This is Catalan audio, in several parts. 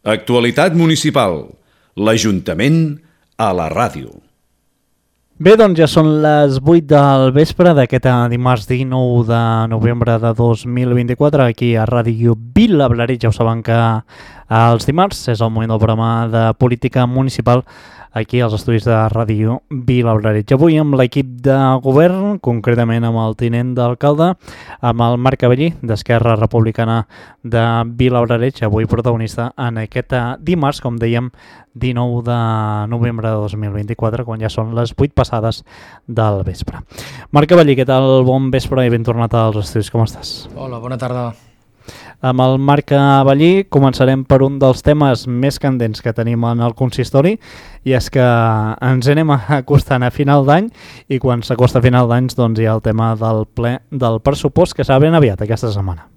Actualitat municipal. L'Ajuntament a la ràdio. Bé, doncs ja són les 8 del vespre d'aquest dimarts 19 de novembre de 2024 aquí a Ràdio Vila Blaretg. Ja ho saben que els dimarts és el moment del programa de política municipal aquí als estudis de Ràdio Vila Blaretg. Avui amb l'equip de govern, concretament amb el tinent d'alcalde, amb el Marc Avellí d'Esquerra Republicana de Vila Blaretg, avui protagonista en aquest dimarts, com dèiem, 19 de novembre de 2024, quan ja són les 8 passades del vespre. Marc Avellí, què tal? Bon vespre i ben tornat als estudis, com estàs? Hola, bona tarda. Amb el Marc Avellí començarem per un dels temes més candents que tenim en el consistori, i és que ens anem acostant a final d'any, i quan s'acosta a final d'any doncs hi ha el tema del ple del pressupost, que serà ben aviat aquesta setmana.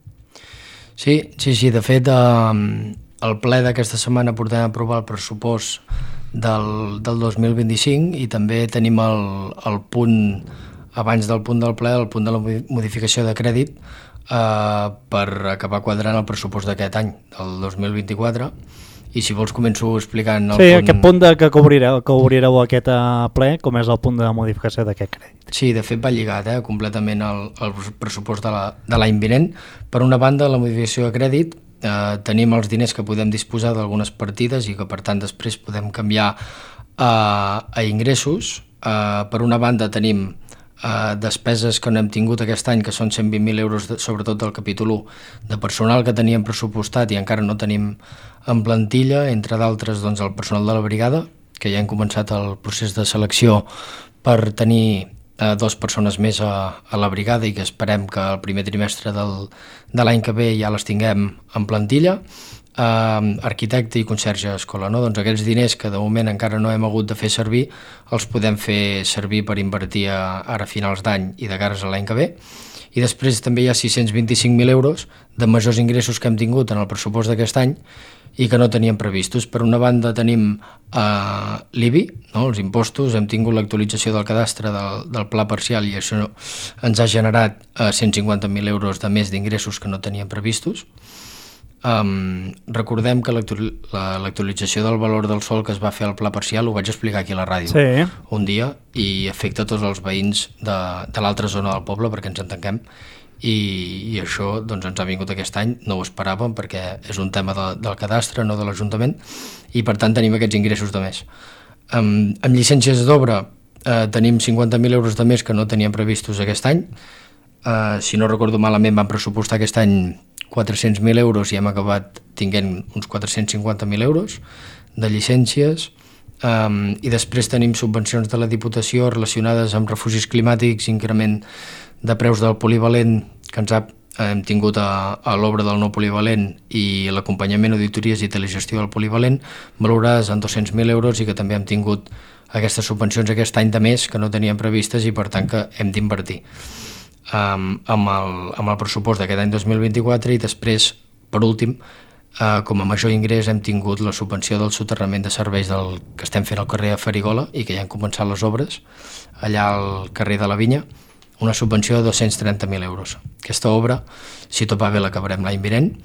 Sí, de fet el ple d'aquesta setmana portem a aprovar el pressupost del 2025 i també tenim el punt, abans del punt del ple, el punt de la modificació de crèdit per acabar quadrant el pressupost d'aquest any, del 2024, i si vols començo explicant el punt... Aquest punt que obrireu aquest ple, com és el punt de modificació d'aquest crèdit. Sí, de fet va lligat completament al pressupost de l'any vinent. Per una banda, la modificació de crèdit, tenim els diners que podem disposar d'algunes partides i que per tant després podem canviar a ingressos. Per una banda tenim despeses que no hem tingut aquest any, que són 120.000 euros, sobretot del capítol 1 de personal que teníem pressupostat i encara no tenim en plantilla, entre d'altres doncs, el personal de la brigada, que ja hem començat el procés de selecció per tenir 2 persones més a la brigada i que esperem que el primer trimestre de l'any que ve ja les tinguem en plantilla. Arquitecte i conserge d'escola, no? Doncs aquests diners que de moment encara no hem hagut de fer servir els podem fer servir per invertir ara a finals d'any i de cares a l'any que ve. I després també hi ha 625.000 euros de majors ingressos que hem tingut en el pressupost d'aquest any i que no teníem previstos. Per una banda tenim l'IBI, no? Els impostos, hem tingut l'actualització del cadastre del pla parcial i això ens ha generat 150.000 euros de més d'ingressos que no teníem previstos. Recordem que l'actualització del valor del sòl que es va fer al pla parcial ho vaig explicar aquí a la ràdio un dia i afecta tots els veïns de l'altra zona del poble perquè ens entenguem i això doncs, ens ha vingut aquest any, no ho esperàvem perquè és un tema del cadastre, no de l'Ajuntament, i per tant tenim aquests ingressos de més. Amb llicències d'obra tenim 50.000 euros de més que no teníem previstos aquest any. Si no recordo malament vam pressupostar aquest any 400.000 euros i hem acabat tinguent uns 450.000 euros de llicències, i després tenim subvencions de la Diputació relacionades amb refugis climàtics, increment de preus del polivalent que hem tingut a l'obra del nou polivalent i l'acompanyament, auditories i telegestió del polivalent, valorades en 200.000 euros i que també hem tingut aquestes subvencions aquest any de més que no teníem previstes i per tant que hem d'invertir amb el pressupost d'aquest any 2024. I després, per últim, com a major ingrés hem tingut la subvenció del soterrament de serveis que estem fent al carrer de Farigola i que ja han començat les obres allà al carrer de la Vinya, una subvenció de 230.000 euros. Aquesta obra, si tot va bé, l'acabarem l'any vinent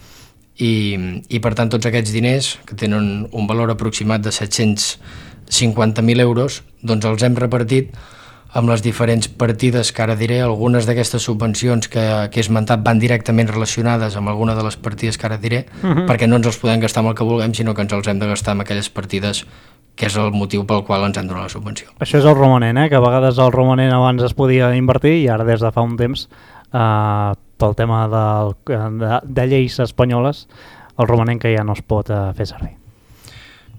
i per tant tots aquests diners que tenen un valor aproximat de 750.000 euros doncs els hem repartit amb les diferents partides que ara diré. Algunes d'aquestes subvencions que he esmentat van directament relacionades amb alguna de les partides que ara diré, perquè no ens els podem gastar amb el que vulguem, sinó que ens els hem de gastar amb aquelles partides que és el motiu pel qual ens han donat la subvenció. Això és el romanent, que a vegades el romanent abans es podia invertir i ara des de fa un temps, pel tema de lleis espanyoles, el romanent que ja no es pot fer servir.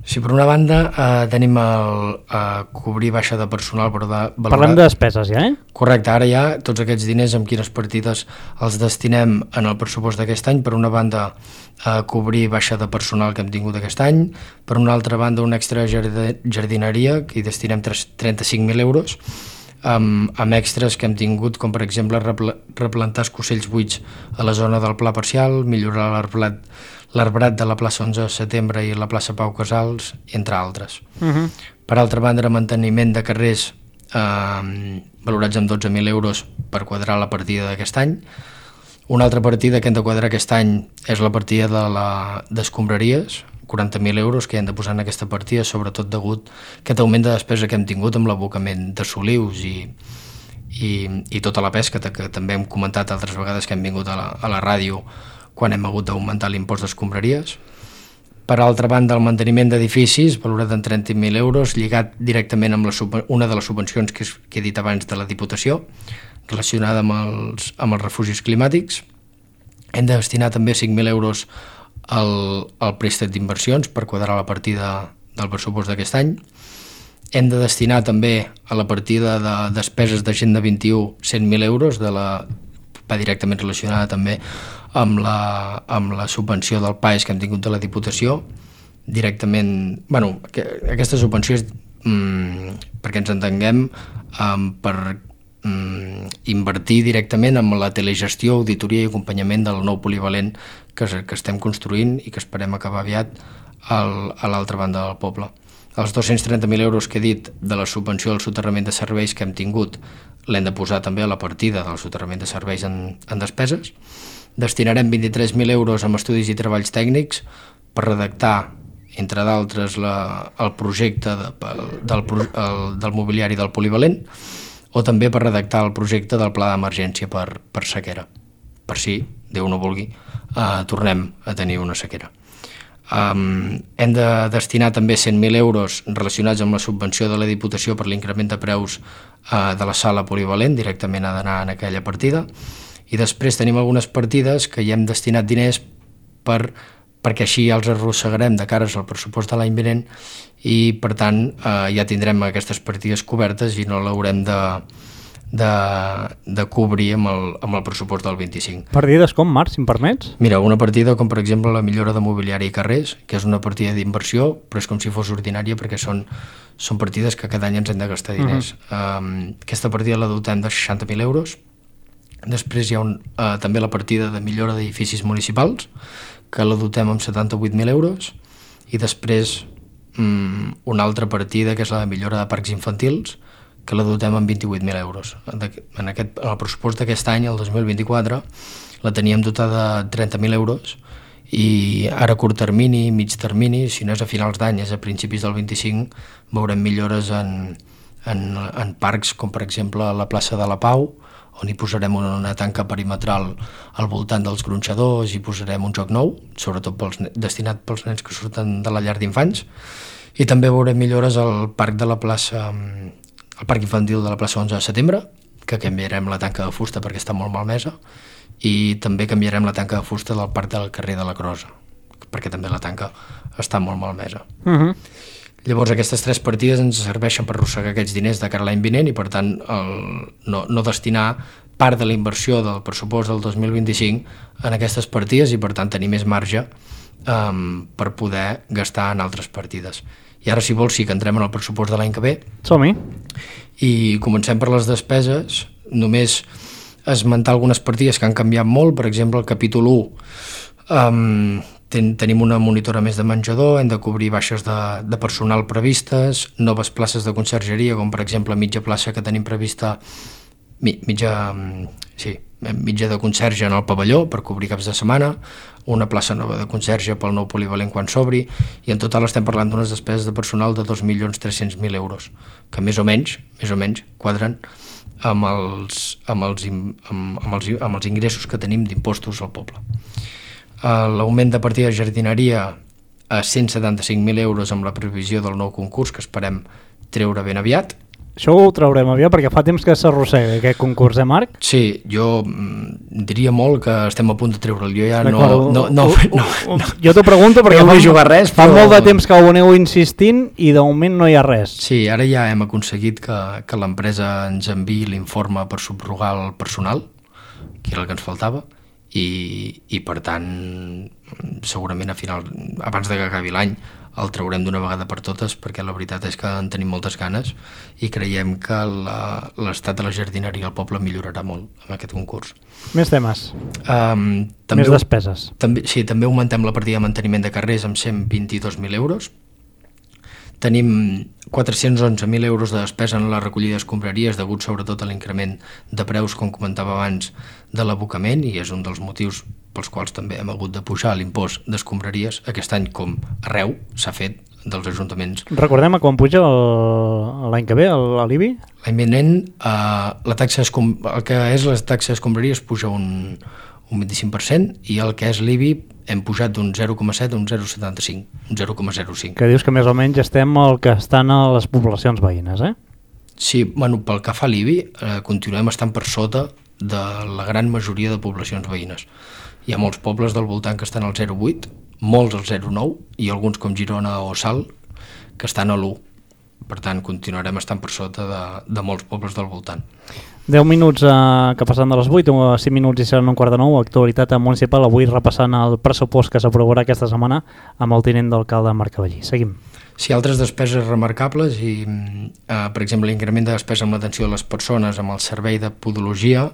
Sí, per una banda tenim cobrir baixa de personal per valorar... Parlem de despeses ja, Correcte, ara ja tots aquests diners amb quines partides els destinem en el pressupost d'aquest any. Per una banda cobrir baixa de personal que hem tingut aquest any, per una altra banda una extra jardineria que hi destinem 35.000 euros, amb extras que hem tingut com per exemple replantar escocells buits a la zona del pla parcial, millorar l'arbrat de la plaça 11 de setembre i la plaça Pau Casals, entre altres. Per altra banda, manteniment de carrers valorats amb 12.000 euros per quadrar la partida d'aquest any. Una altra partida que hem de quadrar aquest any és la partida d'escombraries, 40.000 euros que hem de posar en aquesta partida, sobretot degut a aquest augment de despesa que hem tingut amb l'abocament de solius i tota la pesca, que també hem comentat altres vegades que hem vingut a la ràdio quan hem hagut d'augmentar l'impost d'escombraries. Per altra banda, el manteniment d'edificis, valorat en 30.000 euros, lligat directament amb una de les subvencions que he dit abans de la Diputació, relacionada amb els refugis climàtics. Hem de destinar també 5.000 euros al préstec d'inversions per quadrar la partida del pressupost d'aquest any. Hem de destinar també a la partida de despeses d'Agenda 21 100.000 euros, va directament relacionada també amb la subvenció del PAES que hem tingut de la Diputació. Directament, aquesta subvenció és, perquè ens entenguem, per invertir directament en la telegestió, auditoria i acompanyament del nou polivalent que estem construint i que esperem acabar aviat a l'altra banda del poble. Els 230.000 euros que he dit de la subvenció del soterrament de serveis que hem tingut l'hem de posar també a la partida del soterrament de serveis en despeses. Destinarem 23.000 euros amb estudis i treballs tècnics per redactar, entre d'altres, el projecte del mobiliari del polivalent, o també per redactar el projecte del pla d'emergència per sequera, per si, Déu no vulgui, tornem a tenir una sequera. Hem de destinar també 100.000 euros relacionats amb la subvenció de la Diputació per l'increment de preus de la sala polivalent, directament ha d'anar en aquella partida, i després tenim algunes partides que hi hem destinat diners perquè així els arrossegarem de cares al pressupost de l'any vinent i per tant ja tindrem aquestes partides cobertes i no l'haurem de cobrir amb el pressupost del 25. Partides com, Marc, si em permets? Mira, una partida com per exemple la millora de mobiliari i carrers, que és una partida d'inversió, però és com si fos ordinària perquè són partides que cada any ens hem de gastar diners. Aquesta partida la dotem de 60.000 euros. Després hi ha també la partida de millora d'edificis municipals, que la dotem amb 78.000 euros, i després una altra partida que és la de millora de parcs infantils, que la dotem amb 28.000 euros. En el pressupost d'aquest any, el 2024, la teníem dotada de 30.000 euros i ara a curt termini, mig termini, si no és a finals d'any, és a principis del 25, veurem millores en parcs com per exemple la plaça de la Pau, on hi posarem una tanca perimetral al voltant dels gronxadors i posarem un joc nou, sobretot destinat pels nens que surten de la llar d'infants, i també veurem millores al parc infantil de la plaça 11 de setembre, que canviarem la tanca de fusta perquè està molt malmesa, i també canviarem la tanca de fusta del parc del carrer de la Crosa, perquè també la tanca està molt malmesa. Llavors aquestes tres partides ens serveixen per arrossegar aquests diners de cara a l'any vinent i per tant no destinar part de la inversió del pressupost del 2025 en aquestes partides i per tant tenir més marge per poder gastar en altres partides. I ara, si vols, sí que entrem en el pressupost de l'any que ve. Som-hi. I comencem per les despeses. Només esmentar algunes partides que han canviat molt. Per exemple, el capítol 1 tenim una monitora més de menjador, hem de cobrir baixes de personal previstes, noves places de consergeria, com per exemple mitja plaça que tenim prevista, mitja de conserge en el pavelló per cobrir caps de setmana, una plaça nova de conserge pel nou polivalent quan s'obri, i en total estem parlant d'unes despeses de personal de 2.300.000 euros, que més o menys quadren amb els ingressos que tenim d'impostos al poble. L'augment de partida de jardineria a 175.000 euros amb la previsió del nou concurs que esperem treure ben aviat. Això ho traurem aviat perquè fa temps que s'arrossega aquest concurs, Marc? Sí, jo diria molt que estem a punt de treure'l. Jo ja Jo t'ho pregunto perquè no vull jugar res, fa molt de temps que ho aneu insistint i de moment no hi ha res. Sí, ara ja hem aconseguit que l'empresa ens enviï l'informe per subrogar el personal, que era el que ens faltava, i per tant segurament abans de que acabi l'any el traurem d'una vegada per totes, perquè la veritat és que en tenim moltes ganes i creiem que l'estat de la jardineria al poble millorarà molt amb aquest concurs. Més temes, més despeses. Sí, també augmentem la partida de manteniment de carrers amb 122.000 euros. Tenim 411.000 euros de despesa en la recollida d'escombraries degut sobretot a l'increment de preus, com comentava abans, de l'abocament, i és un dels motius pels quals també hem hagut de pujar l'impost d'escombraries. Aquest any, com arreu, s'ha fet dels ajuntaments. Recordem a quan puja l'any que ve l'IBI? L'any vinent el que és la taxa d'escombraries puja un 25% i el que és l'IBI hem pujat d'un 0,7 a un 0,75, un 0,05. Que dius que més o menys estem el que estan a les poblacions veïnes, eh? Sí, bueno, pel que fa a l'IBI continuem estant per sota de la gran majoria de poblacions veïnes. Hi ha molts pobles del voltant que estan al 0,8, molts al 0,9 i alguns com Girona o Salt que estan a l'1. Per tant, continuarem estant per sota de molts pobles del voltant. 10 minuts que passen de les 8, 5 minuts i seran un quart de 9, actualitat municipal, avui repassant el pressupost que s'aprovarà aquesta setmana amb el tinent d'alcalde Marc Cavallí. Seguim. Sí, altres despeses remarcables i, per exemple, l'increment de despesa amb l'atenció a les persones amb el servei de podologia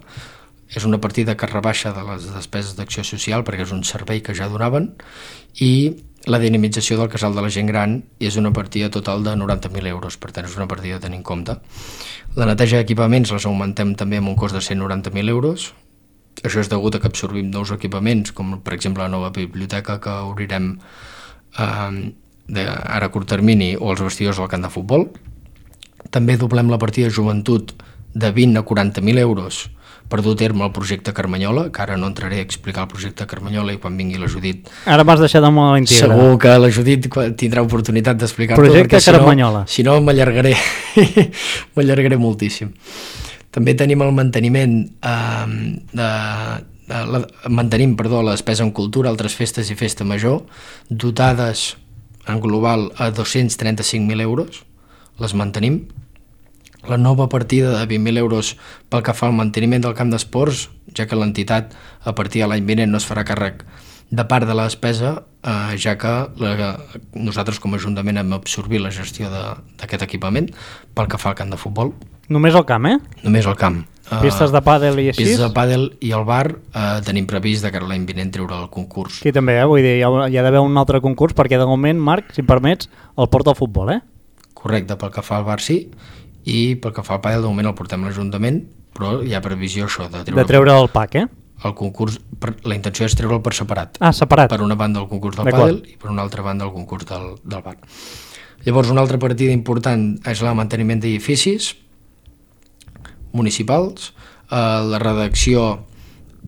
és una partida que rebaixa de les despeses d'acció social perquè és un servei que ja donaven, i la dinamització del casal de la gent gran és una partida total de 90.000 euros, per tant és una partida a tenir en compte. La neteja d'equipaments les augmentem també amb un cost de 190.000 euros. Això és degut a que absorbim nous equipaments, com per exemple la nova biblioteca que obrirem ara a curt termini, o els vestidors del camp de futbol. També doblem la partida de joventut de 20 a 40.000 euros per dur a terme el projecte Carmanyola, que ara no entraré a explicar el projecte Carmanyola i quan vingui la Judit... Ara m'has deixat amb l'Integra. Segur que la Judit tindrà oportunitat d'explicar-ho. Projecte Carmanyola. Si no, m'allargaré moltíssim. També tenim el manteniment mantenim la despesa en cultura, altres festes i festa major, dotades en global a 235.000 euros, les mantenim. La nova partida de 20.000 euros pel que fa al manteniment del camp d'esports, ja que l'entitat a partir de l'any vinent no es farà càrrec de part de la despesa, ja que nosaltres com a Ajuntament hem absorbit la gestió d'aquest equipament pel que fa al camp de futbol. Només el camp, Només el camp. Pistes de pàdel i així? Pistes de pàdel i el bar tenim previst de cara a l'any vinent treure el concurs. Aquí també, vull dir, hi ha d'haver un altre concurs perquè de moment, Marc, si em permets, el porta al futbol, Correcte, pel que fa al bar sí, i pel que fa al pàdel de moment el portem a l'Ajuntament, però hi ha previsió això de treure el pack, El concurs, la intenció és treure'l per separat. Separat. Per una banda el concurs del pàdel i per una altra banda el concurs del bar. Llavors una altra partida important és el manteniment d'edificis municipals, la reducció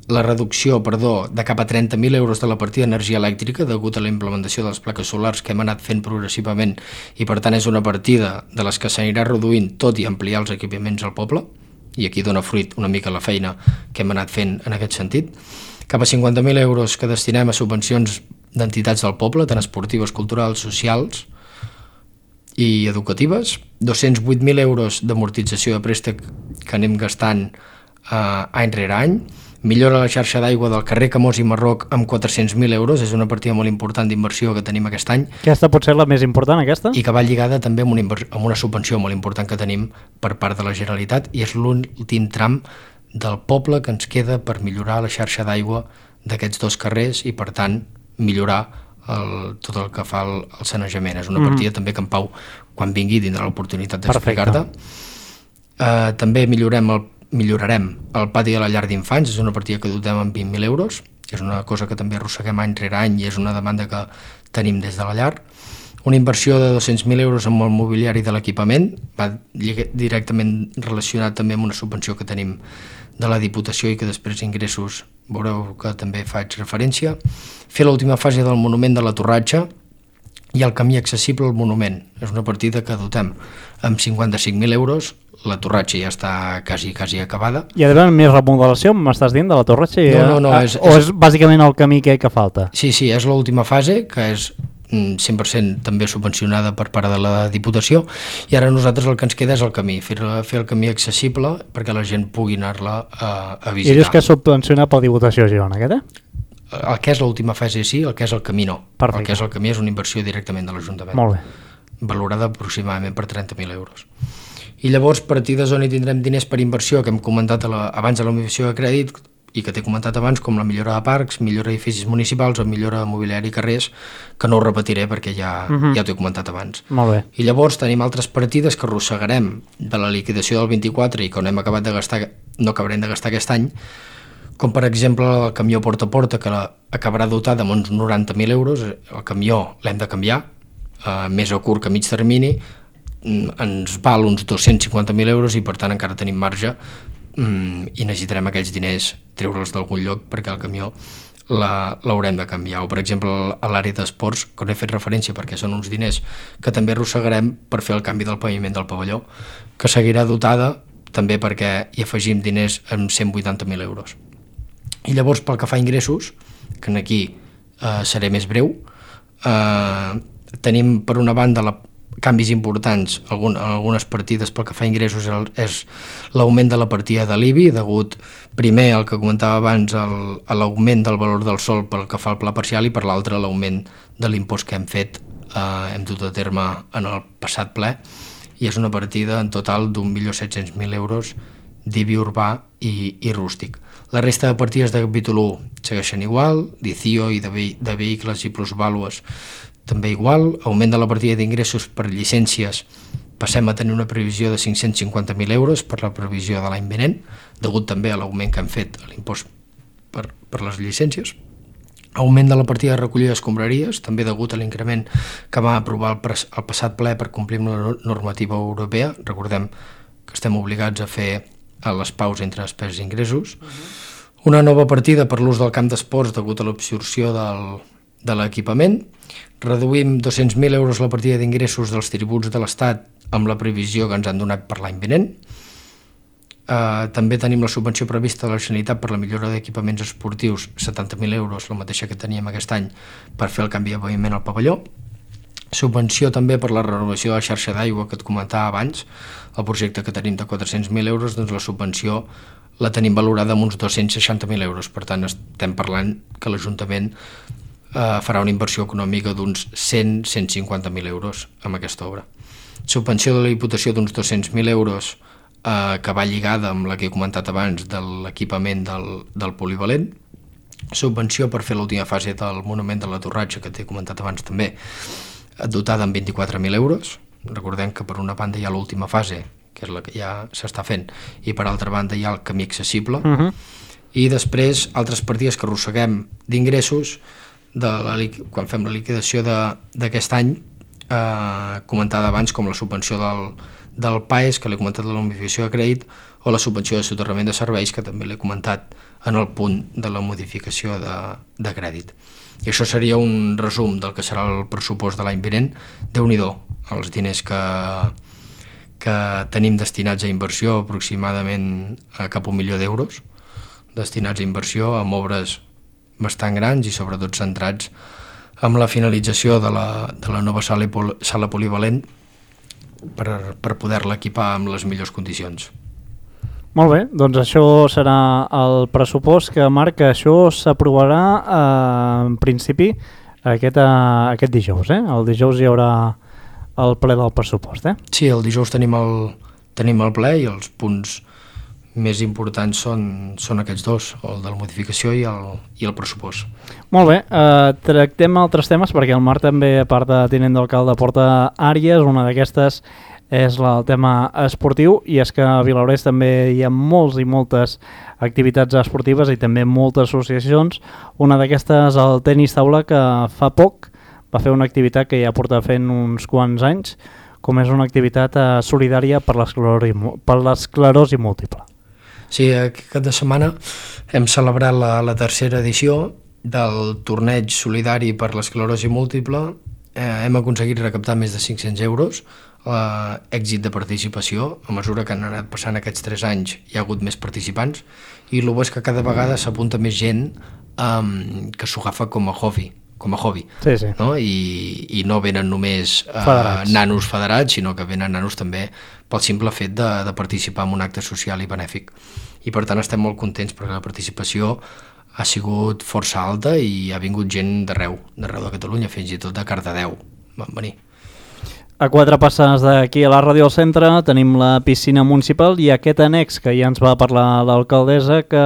de cap a 30.000 euros de la partida d'energia elèctrica degut a la implementació de les plaques solars que hem anat fent progressivament, i per tant és una partida de les que s'anirà reduint tot i ampliar els equipaments al poble, i aquí dona fruit una mica la feina que hem anat fent en aquest sentit. Cap a 50.000 euros que destinem a subvencions d'entitats del poble, tant esportives, culturals, socials i educatives, 208.000 euros d'amortització de préstec que anem gastant any rere any, millora la xarxa d'aigua del carrer Camós i Marroc amb 400.000 euros, és una partida molt important d'inversió que tenim aquest any. Aquesta pot ser la més important, aquesta? I que va lligada també amb una subvenció molt important que tenim per part de la Generalitat, i és l'últim tram del poble que ens queda per millorar la xarxa d'aigua d'aquests dos carrers i, per tant, millorar tot el que fa el sanejament. És una partida també que en Pau, quan vingui, tindrà l'oportunitat d'explicar-te. També millorarem el pati de la llar d'infants, és una partida que dotem amb 20.000 euros, és una cosa que també arrosseguem any rere any i és una demanda que tenim des de la llar. Una inversió de 200.000 euros amb el mobiliari de l'equipament, va directament relacionat també amb una subvenció que tenim de la Diputació i que després ingressos veureu que també faig referència. Fer l'última fase del monument de la Torratxa i el camí accessible al monument, és una partida que dotem amb 55.000 euros. La Torratxa ja està quasi acabada. Hi ha d'haver més remodelació, m'estàs dient, de la Torratxa? No. O és bàsicament el camí que falta? Sí, és l'última fase, que és 100% també subvencionada per part de la Diputació, i ara nosaltres el que ens queda és el camí, fer el camí accessible perquè la gent pugui anar-la a visitar. I dius que és subvencionat per la Diputació de Girona, aquest, El que és l'última fase sí, el que és el camí no. Perfecte. El que és el camí és una inversió directament de l'Ajuntament. Molt bé. Valorada aproximadament per 30.000 euros. I llavors partides on hi tindrem diners per inversió que hem comentat abans de la motivació de crèdit i que t'he comentat abans, com la millora de parcs, millora d'edificis municipals o millora de mobiliari i carrers, que no ho repetiré perquè ja t'ho he comentat abans. Molt bé. I llavors tenim altres partides que arrossegarem de la liquidació del 24 i que no acabarem de gastar aquest any, com per exemple el camió porta a porta, que acabarà dotat amb uns 90.000 euros. El camió l'hem de canviar, més a curt que a mig termini, ens val uns 250.000 euros i per tant encara tenim marge i necessitarem aquells diners treure'ls d'algun lloc perquè el camió l'haurem de canviar. O per exemple a l'àrea d'esports, que no he fet referència perquè són uns diners que també arrossegarem per fer el canvi del paviment del pavelló, que seguirà dotada també perquè hi afegim diners amb 180.000 euros. I llavors pel que fa a ingressos, que aquí seré més breu, tenim per una banda canvis importants, algunes partides pel que fa a ingressos és l'augment de la partida de l'IBI, degut primer al que comentava abans a l'augment del valor del sòl pel que fa al pla parcial i per l'altre l'augment de l'impost que hem dut a terme en el passat ple, i és una partida en total d'1.700.000 euros d'IBI urbà i rústic. La resta de partides de capítol 1 segueixen igual, d'ICIO i de vehicles i plusvàlues també igual, augment de la partida d'ingressos per llicències, passem a tenir una previsió de 550.000 euros per la previsió de l'any vinent, degut també a l'augment que han fet a l'impost per les llicències. Augment de la partida de recollida d'escombraries, també degut a l'increment que va aprovar el passat ple per complir amb la normativa europea. Recordem que estem obligats a fer les paus entre despeses i ingressos. Una nova partida per l'ús del camp d'esports degut a l'absorció de l'equipament. Reduïm 200.000 euros la partida d'ingressos dels tributs de l'Estat amb la previsió que ens han donat per l'any vinent. També tenim la subvenció prevista de la Generalitat per la millora d'equipaments esportius, 70.000 euros, la mateixa que teníem aquest any, per fer el canvi de paviment al pavelló. Subvenció també per la renovació de la xarxa d'aigua que et comentava abans, el projecte que tenim de 400.000 euros, doncs la subvenció la tenim valorada amb uns 260.000 euros, per tant estem parlant que l'Ajuntament farà una inversió econòmica d'uns 100-150.000 euros amb aquesta obra. Subvenció de la Diputació d'uns 200.000 euros que va lligada amb la que he comentat abans de l'equipament del polivalent. Subvenció per fer l'última fase del monument de la Torratxa, que t'he comentat abans també, dotada amb 24.000 euros. Recordem que per una banda hi ha l'última fase, que és la que ja s'està fent, i per altra banda hi ha el camí accessible. I després altres partides que arrosseguem d'ingressos quan fem la liquidació d'aquest any, comentada abans, com la subvenció del PAES, que l'he comentat de la modificació de crèdit, o la subvenció de soterrament de serveis, que també l'he comentat en el punt de la modificació de crèdit. I això seria un resum del que serà el pressupost de l'any vinent. Déu-n'hi-do, els diners que tenim destinats a inversió, aproximadament cap a 1 milió d'euros, destinats a inversió amb obres bastant grans i sobretot centrats amb la finalització de la nova sala polivalent per poder-la equipar amb les millors condicions. Molt bé, doncs això serà el pressupost que marca. Això s'aprovarà en principi aquest dijous. El dijous hi haurà el ple del pressupost. Sí, el dijous tenim el ple i els punts més importants són aquests dos, el de la modificació i el pressupost. Molt bé, tractem altres temes perquè el Marc també, a part de tinent d'alcalde, porta àrees. Una d'aquestes és el tema esportiu, i és que a Vilablareix també hi ha molts i moltes activitats esportives i també moltes associacions. Una d'aquestes, el tenis taula, que fa poc va fer una activitat que ja porta fent uns quants anys, com és una activitat solidària per l'esclerosi múltiple. Sí, aquest cap de setmana hem celebrat la tercera edició del torneig solidari per l'esclerosi múltiple. Hem aconseguit recaptar més de 500 euros, èxit de participació. A mesura que han anat passant aquests 3 anys hi ha hagut més participants, i el bo és que cada vegada s'apunta més gent que s'ho agafa com a hobby. Sí, sí. No? I no venen només nanos federats, sinó que venen nanos també pel simple fet de participar en un acte social i benèfic. I per tant estem molt contents perquè la participació ha sigut força alta i ha vingut gent d'arreu de Catalunya, fins i tot de Cardedeu van venir. A 4 passes d'aquí a la ràdio al centre tenim la piscina municipal i aquest annex que ja ens va parlar l'alcaldessa, que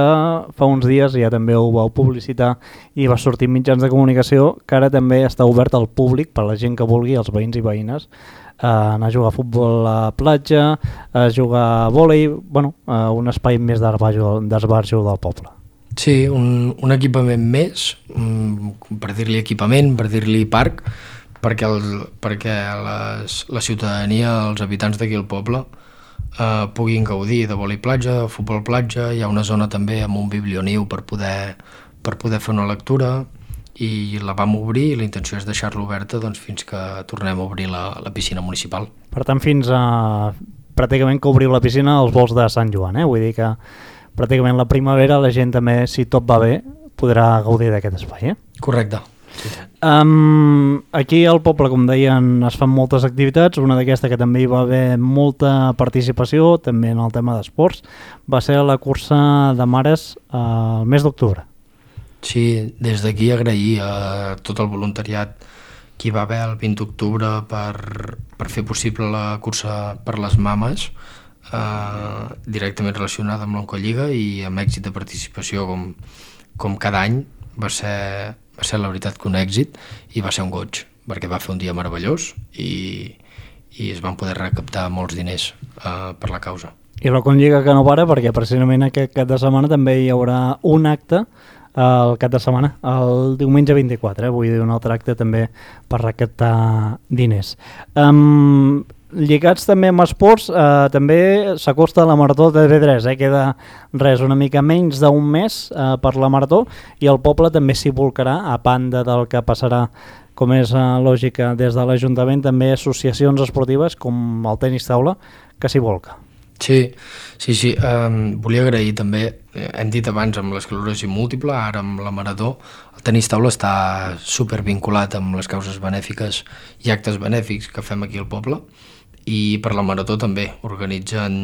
fa uns dies ja també ho vau publicitar i va sortir en mitjans de comunicació, que ara també està obert al públic per a la gent que vulgui, els veïns i veïnes, anar a jugar a futbol a la platja, a jugar a vòlei, un espai més d'esbarjo del poble. Sí, un equipament més, per dir-li equipament, per dir-li parc, perquè la ciutadania, els habitants d'aquí al poble, puguin gaudir de vòlei platja, de futbol platja. Hi ha una zona també amb un biblioniu per poder fer una lectura, i la vam obrir, i la intenció és deixar-la oberta doncs, fins que tornem a obrir la piscina municipal. Per tant, fins a pràcticament que obriu la piscina als volts de Sant Joan, Vull dir que pràcticament la primavera la gent també, si tot va bé, podrà gaudir d'aquest espai, Correcte. Sí. Aquí al poble, com deien, es fan moltes activitats. Una d'aquesta que també hi va haver molta participació, també en el tema d'esports, va ser la cursa de mares al mes d'octubre. Sí, des d'aquí agrair a tot el voluntariat que hi va haver el 20 d'octubre per fer possible la cursa per les mames, directament relacionada amb l'Oncolliga, i amb èxit de participació com cada any. Va ser la veritat que un èxit, i va ser un goig, perquè va fer un dia meravellós i es van poder recaptar molts diners per la causa. I l'Oncolliga que no para, perquè precisament aquest cap de setmana també hi haurà un acte el cap de setmana, el diumenge 24, vull dir, un altre acte també per recaptar diners. Lligats també amb esports, també s'acosta la Marató de TV3, queda una mica menys d'un mes per la Marató, i el poble també s'hi volcarà, a banda del que passarà, com és lògica, des de l'Ajuntament, també associacions esportives com el tenis taula, que s'hi volca. Sí. Volia agrair també, hem dit abans amb l'esclerosi múltiple, ara amb la Marató. El tenis taula està supervinculat amb les causes benèfiques i actes benèfics que fem aquí al poble, i per la Marató també organitzen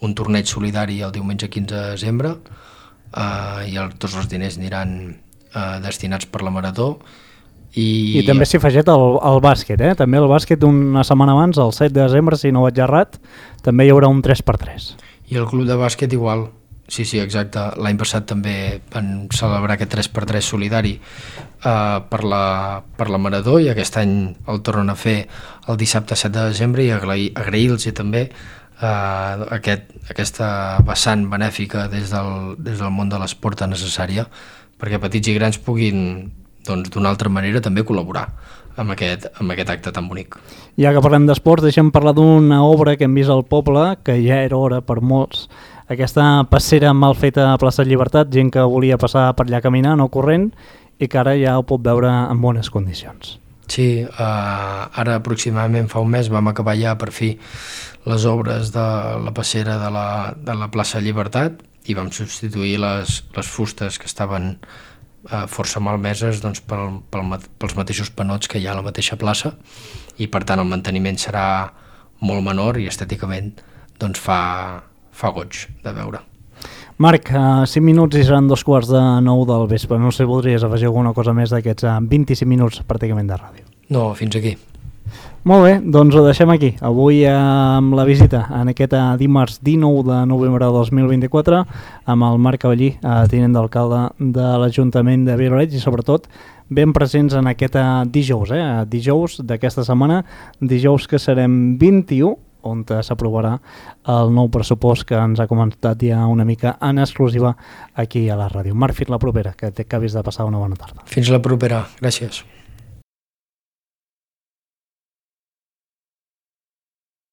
un torneig solidari el diumenge 15 de desembre, i tots els diners aniran destinats per la Marató. I també s'hi afegit el bàsquet, també el bàsquet una setmana abans, el 7 de desembre, si no vaig errat, també hi haurà un 3x3. I el club de bàsquet igual, sí, exacte. L'any passat també van celebrar aquest 3x3 solidari per la Marató, i aquest any el tornen a fer el dissabte 7 de desembre, i agrair-los també aquesta vessant benèfica des del món de l'esport tan necessària, perquè petits i grans puguin d'una altra manera també col·laborar amb aquest acte tan bonic. Ja que parlem d'esports, deixem parlar d'una obra que hem vist al poble, que ja era hora per molts, aquesta passera mal feta a plaça Llibertat, gent que volia passar per allà caminant o corrent, i que ara ja ho pot veure en bones condicions. Sí, ara aproximadament fa un mes vam acabar ja per fi les obres de la passera de la plaça Llibertat, i vam substituir les fustes que estaven força malmeses pels mateixos panots que hi ha a la mateixa plaça, i per tant el manteniment serà molt menor, i estèticament fa goig de veure. Marc, 5 minuts i seran 2:15 del vespre. No sé si voldries afegir alguna cosa més d'aquests 25 minuts pràcticament de ràdio. No, fins aquí. Molt bé, doncs ho deixem aquí. Avui amb la visita en aquest dimarts 19 de novembre de 2024 amb el Marc Cavallí, tinent d'alcalde de l'Ajuntament de Vilareig, i sobretot ben presents en aquest dijous, dijous d'aquesta setmana, dijous que serem 21, on s'aprovarà el nou pressupost que ens ha comentat ja una mica en exclusiva aquí a la ràdio. Marc, fins la propera, que t'acabis de passar una bona tarda. Fins la propera, gràcies.